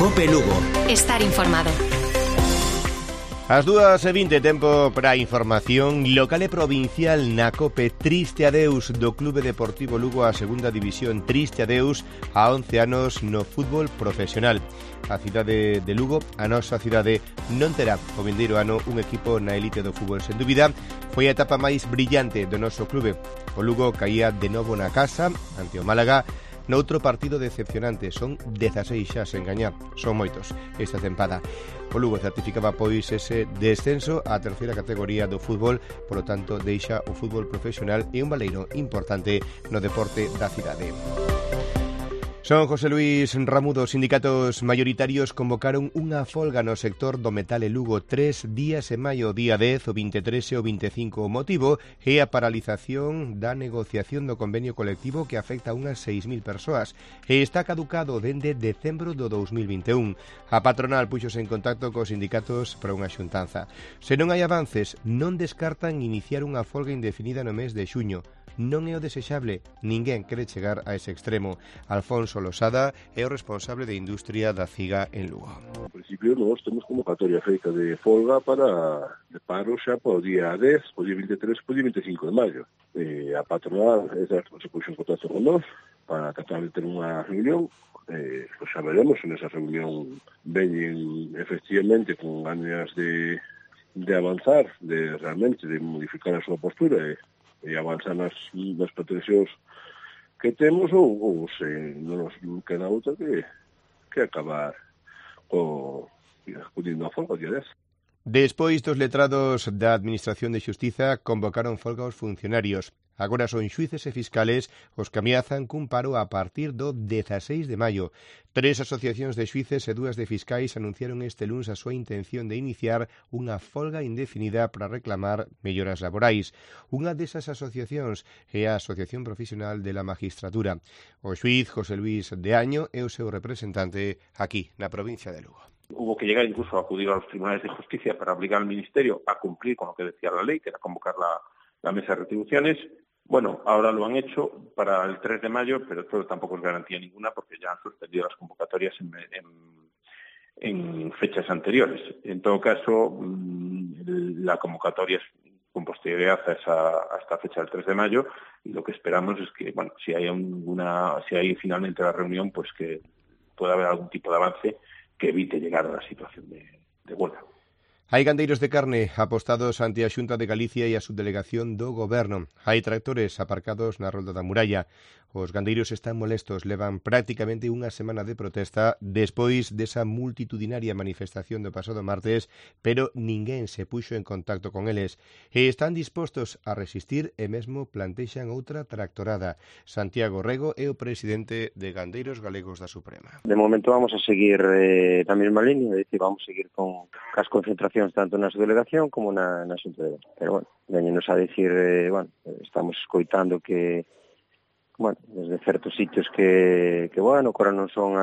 COPE Lugo. Estar informado. As 2:20, tempo para a información local e provincial na COPE. Triste adeus do Clube Deportivo Lugo á segunda división. Triste adeus a 11 anos no fútbol profesional. A cidade de Lugo, a nosa cidade, non terá o vindeiro ano un equipo na elite do fútbol. Sen dúbida, foi a etapa máis brillante do noso clube. O Lugo caía de novo na casa ante o Málaga noutro partido decepcionante. Son 16 xa sen gañar, son moitos esta tempada. O Lugo certificaba pois ese descenso á terceira categoría do fútbol, polo tanto deixa o fútbol profesional e un baleiro importante no deporte da cidade. Son José Luis Ramudo. Sindicatos maioritarios convocaron unha folga no sector do metal e Lugo 3 días en maio, día 10, o 23 e o 25. O motivo é a paralización da negociación do convenio colectivo que afecta a unhas 6.000 persoas e está caducado dende decembro do 2021. A patronal puxose en contacto cos sindicatos para unha xuntanza. Se non hai avances, non descartan iniciar unha folga indefinida no mes de xuño. Non é o desexable, ninguén quere chegar a ese extremo. Alfonso Losada é o responsable de industria da CIGA en Lugo. En principio, nós temos convocatoria feita de folga de paro xa po día 10, po día 23, po día 25 de maio. A patronal se puxo en contacto con nós para tratar de ter unha reunión. Pois xa veremos en esa reunión veñen efectivamente con ganas de avanzar, de realmente de modificar a súa postura e avanzar nas pretensións que temos ou se non nos queda outra que acabar acudindo a folga día 10. Despois dos letrados da Administración de Xustiza convocaron folga aos funcionarios. Agora son xuíces e fiscales os que ameazan cun paro a partir do 16 de maio. 3 asociacións de xuíces e 2 de fiscais anunciaron este luns a súa intención de iniciar unha folga indefinida para reclamar melloras laborais. Unha desas asociacións é a Asociación Profesional de la Magistratura. O xuíz José Luis de Año é o seu representante aquí, na provincia de Lugo. Hubo que llegar incluso a acudir a los tribunales de justicia para obligar al Ministerio a cumplir con lo que decía la ley, que era convocar la mesa de retribuciones. Bueno, ahora lo han hecho para el 3 de mayo, pero esto tampoco es garantía ninguna porque ya han suspendido las convocatorias en fechas anteriores. En todo caso, la convocatoria es con posterioridad a esta fecha del 3 de mayo y lo que esperamos es que, bueno, si hay finalmente la reunión, pues que pueda haber algún tipo de avance que evite llegar a la situación de huelga. Hai gandeiros de carne apostados ante a Xunta de Galicia e a subdelegación do Goberno. Hai tractores aparcados na rolda da muralla. Os gandeiros están molestos, levan prácticamente unha semana de protesta despois desa multitudinaria manifestación do pasado martes, pero ninguén se puxo en contacto con eles. E están dispostos a resistir e mesmo plantexan outra tractorada. Santiago Rego é o presidente de Gandeiros Galegos da Suprema. De momento vamos a seguir na mesma línea, é dicir, vamos a seguir con as concentracións tanto na subdelegación como na Xunta de Galicia. Pero, bueno, veñenos a dicir, estamos escoitando que desde certos sitios que ahora non son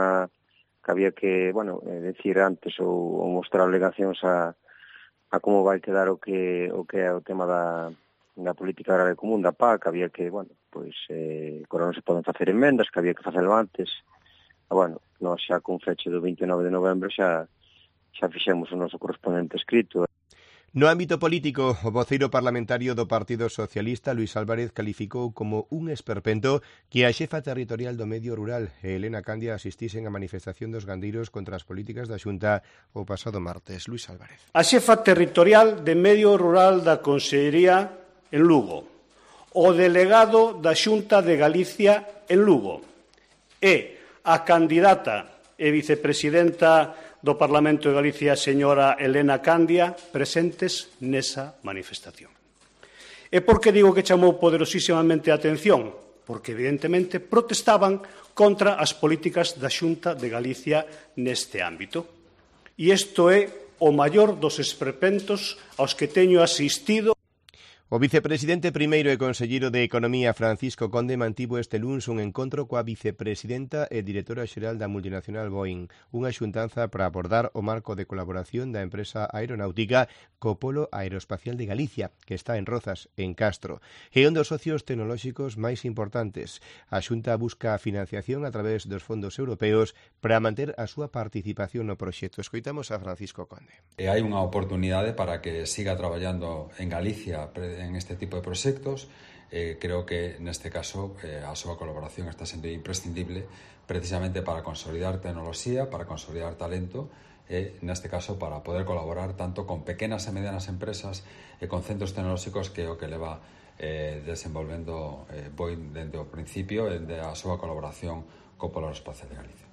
que había que, decir antes ou mostrar alegacións a como vai quedar o que é o tema da política agraria común da PAC, había que, agora non se poden facer emendas, que había que facelo antes. Nós xa con fecha do 29 de novembro xa fixemos o noso correspondente escrito. No ámbito político, o voceiro parlamentario do Partido Socialista, Luis Álvarez, calificou como un esperpento que a xefa territorial do medio rural, Elena Candia, asistisen a manifestación dos gandeiros contra as políticas da Xunta o pasado martes. Luis Álvarez. A xefa territorial de medio rural da Consellería en Lugo, o delegado da Xunta de Galicia en Lugo e a candidata e vicepresidenta do Parlamento de Galicia, señora Elena Candia, presentes nesa manifestación. E por que digo que chamou poderosísimamente a atención? Porque, evidentemente, protestaban contra as políticas da Xunta de Galicia neste ámbito. E isto é o maior dos esperpentos aos que teño asistido. O vicepresidente primeiro e conselleiro de Economía Francisco Conde mantivo este luns un encontro coa vicepresidenta e directora xeral da multinacional Boeing, unha xuntanza para abordar o marco de colaboración da empresa aeronáutica co Polo Aeroespacial de Galicia, que está en Rozas, en Castro, e un dos socios tecnolóxicos máis importantes. A Xunta busca a financiación a través dos fondos europeos para manter a súa participación no proxecto. Escoitamos a Francisco Conde. Hai unha oportunidade para que siga traballando en Galicia en este tipo de proxectos. Creo que neste caso a súa colaboración está sendo imprescindible precisamente para consolidar tecnoloxía, para consolidar talento e neste caso para poder colaborar tanto con pequenas e medianas empresas e con centros tecnolóxicos que é o que leva desenvolvendo Boeing dende o principio e dende a súa colaboración co Polo Aeroespacial de Galicia.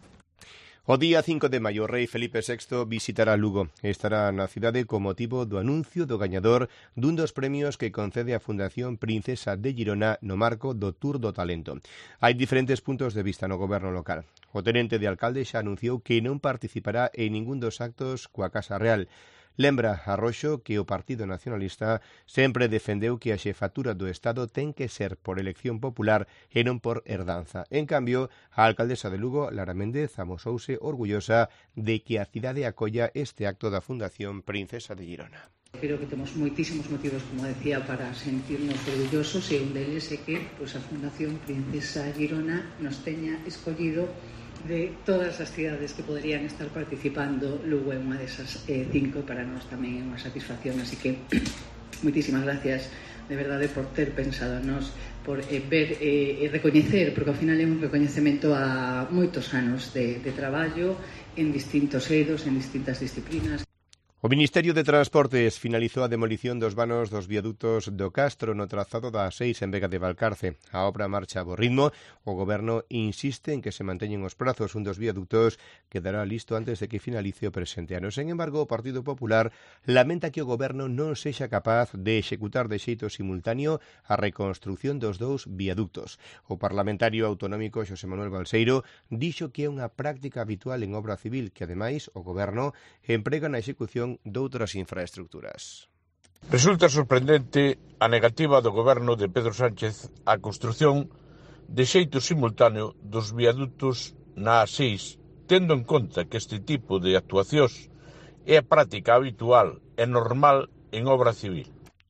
O día 5 de maio, o rei Felipe VI visitará Lugo. Estará na cidade con motivo do anuncio do gañador dun dos premios que concede a Fundación Princesa de Girona no marco do Tour do Talento. Hai diferentes puntos de vista no goberno local. O tenente de alcalde xa anunciou que non participará en ningún dos actos coa Casa Real. Lembra a Roxo que o Partido Nacionalista sempre defendeu que a xefatura do Estado ten que ser por elección popular e non por herdanza. En cambio, a alcaldesa de Lugo, Lara Méndez, amosouse orgullosa de que a cidade acolla este acto da Fundación Princesa de Girona. Creo que temos moitísimos motivos, como decía, para sentirnos orgullosos e un deles é que a Fundación Princesa Girona nos teña escollido de todas as cidades que poderían estar participando. Lugo é unha desas 5 e para nós tamén é unha satisfacción, así que moitísimas gracias de verdade por ter pensado nos, por ver e recoñecer, porque ao final é un recoñecemento a moitos anos de traballo en distintos eidos, en distintas disciplinas. O Ministerio de Transportes finalizou a demolición dos vanos dos viadutos do Castro no trazado da A6 en Vega de Valcarce. A obra marcha a bo ritmo. O Goberno insiste en que se manteñen os prazos. Un dos viadutos quedará listo antes de que finalice o presente ano. Sen embargo, o Partido Popular lamenta que o Goberno non sexa capaz de executar de xeito simultáneo a reconstrucción dos dous viadutos. O parlamentario autonómico Xosé Manuel Balseiro dixo que é unha práctica habitual en obra civil que, ademais, o Goberno emprega na execución doutras infraestructuras. Resulta sorprendente a negativa do goberno de Pedro Sánchez á construción de xeito simultáneo dos viadutos na A6, tendo en conta que este tipo de actuacións é a práctica habitual e normal en obra civil.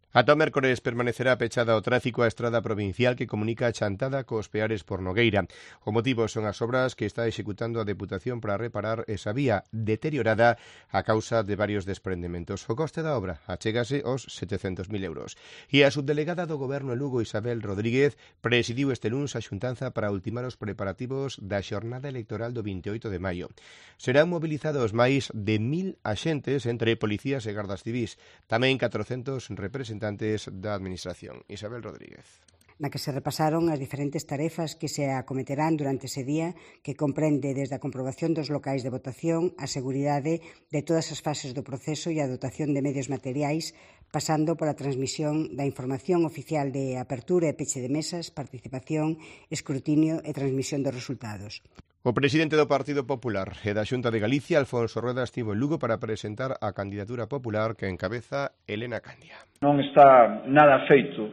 Ata o mércores permanecerá pechada ao tráfico a estrada provincial que comunica a Chantada cos Peares por Nogueira. O motivo son as obras que está executando a Deputación para reparar esa vía deteriorada a causa de varios desprendementos. O coste da obra achégase aos 700.000 euros. E a subdelegada do Goberno en Lugo, Isabel Rodríguez, presidiu este luns a xuntanza para ultimar os preparativos da xornada electoral do 28 de maio. Serán mobilizados máis de 1.000 axentes entre policías e gardas civís, tamén 400 representantes da Administración. Isabel Rodríguez. Na que se repasaron as diferentes tarefas que se acometerán durante ese día, que comprende desde a comprobación dos locais de votación, a seguridade de todas as fases do proceso e a dotación de medios materiais, pasando pola transmisión da información oficial de apertura e peche de mesas, participación, escrutinio e transmisión dos resultados. O presidente do Partido Popular e da Xunta de Galicia, Alfonso Rueda, estivo en Lugo para presentar a candidatura popular que encabeza Elena Candia. Non está nada feito,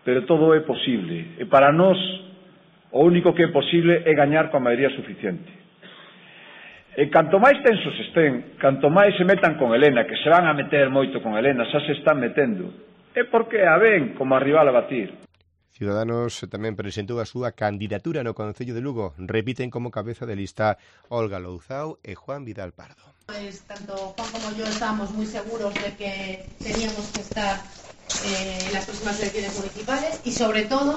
pero todo é posible. E para nós, o único que é posible é gañar coa maioría suficiente. E canto máis tensos estén, canto máis se metan con Elena, que se van a meter moito con Elena, xa se están metendo, é porque a ven como a rival a batir. Ciudadanos tamén presentou a súa candidatura no Concello de Lugo. Repiten como cabeza de lista Olga Louzao e Juan Vidal Pardo. Tanto Juan como yo estábamos muy seguros de que teníamos que estar en las próximas elecciones municipales y sobre todo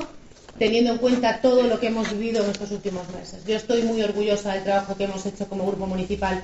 teniendo en cuenta todo lo que hemos vivido en estos últimos meses. Yo estoy muy orgullosa del trabajo que hemos hecho como grupo municipal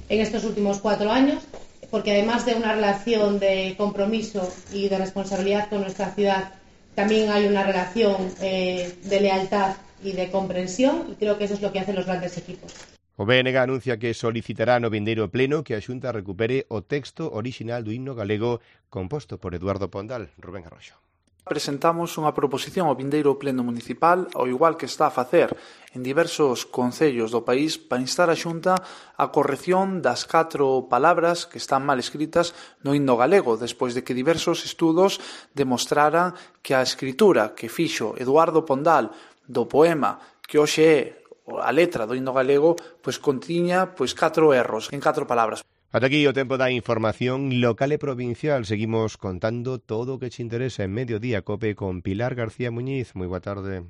en estos últimos 4 años, porque además de una relación de compromiso y de responsabilidad con nuestra ciudad, también hay una relación de lealtad y de comprensión, y creo que eso es lo que hacen los grandes equipos. O BNG anuncia que solicitará no vindeiro pleno que a Xunta recupere o texto orixinal do himno galego composto por Eduardo Pondal. Rubén Arroxo. Presentamos unha proposición ao vindeiro pleno municipal, ao igual que está a facer en diversos concellos do país, para instar a Xunta a corrección das 4 palabras que están mal escritas no himno galego, despois de que diversos estudos demostraran que a escritura que fixo Eduardo Pondal do poema que hoxe é a letra do himno galego, pois contiña 4 erros en 4 palabras. Ata aquí o tempo da información local e provincial. Seguimos contando todo o que te interesa en Mediodía Cope con Pilar García Muñiz. Moi boa tarde.